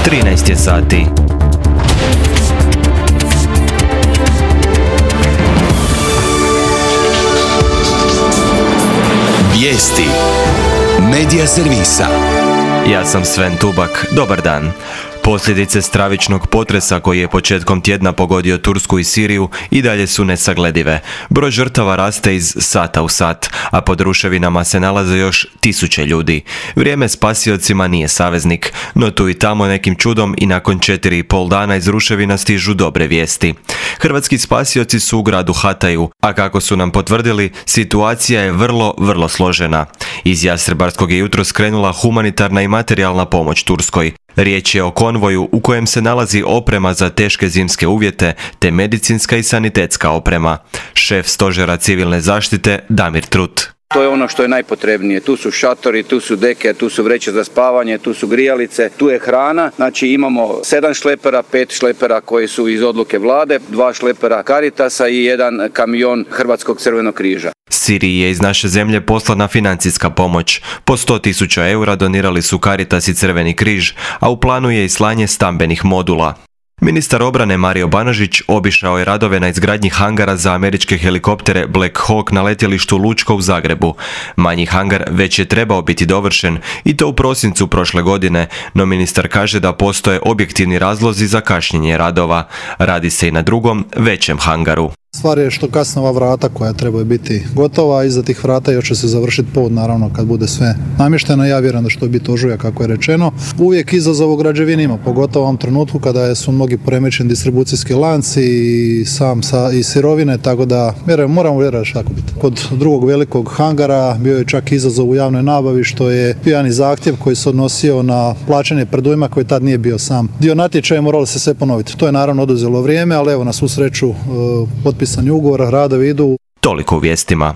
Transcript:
13 je sati. Vijesti Medija servisa. Ja sam Sven Tubak. Dobar dan. Posljedice stravičnog potresa koji je početkom tjedna pogodio Tursku i Siriju i dalje su nesagledive. Broj žrtava raste iz sata u sat, a pod ruševinama se nalaze još tisuće ljudi. Vrijeme spasiocima nije saveznik, no tu i tamo nekim čudom i nakon 4,5 dana iz ruševina stižu dobre vijesti. Hrvatski spasioci su u gradu Hataju, a kako su nam potvrdili, situacija je vrlo složena. Iz Jastrebarskog je jutro skrenula humanitarna i materijalna pomoć Turskoj. Riječ je o konvoju u kojem se nalazi oprema za teške zimske uvjete te medicinska i sanitetska oprema. Šef stožera civilne zaštite Damir Trut. To je ono što je najpotrebnije. Tu su šatori, tu su deke, tu su vreće za spavanje, tu su grijalice, tu je hrana. Znači imamo 7 šlepera, 5 šlepera koji su iz odluke vlade, 2 šlepera Caritasa i 1 kamion Hrvatskog crvenog križa. Siriji je iz naše zemlje poslana financijska pomoć. Po 100.000 eura donirali su Caritas i Crveni križ, a u planu je i slanje stambenih modula. Ministar obrane Mario Banožić obišao je radove na izgradnji hangara za američke helikoptere Black Hawk na letjelištu Lučko u Zagrebu. Manji hangar već je trebao biti dovršen i to u prosincu prošle godine, no ministar kaže da postoje objektivni razlozi za kašnjenje radova. Radi se i na drugom, većem hangaru. Stvar je što kasno ova vrata koja trebaju biti gotova, a iza tih vrata još će se završiti pod, naravno kad bude sve namješteno. Ja vjerujem da što je biti ožujak kako je rečeno. Uvijek izazov u građevini ima, pogotovo u ovom trenutku kada su mnogi poremećeni distribucijski lanci i sirovine, tako da moramo vjerovati što tako biti. Kod drugog velikog hangara bio je čak izazov u javnoj nabavi što je bio i zahtjev koji se odnosio na plaćanje predujma koji tad nije bio sam dio natječaja, moralo se sve ponoviti. To je naravno oduzelo vrijeme, ali evo na svu sreću potpisani ugovor, radovi idu. Toliko u vijestima.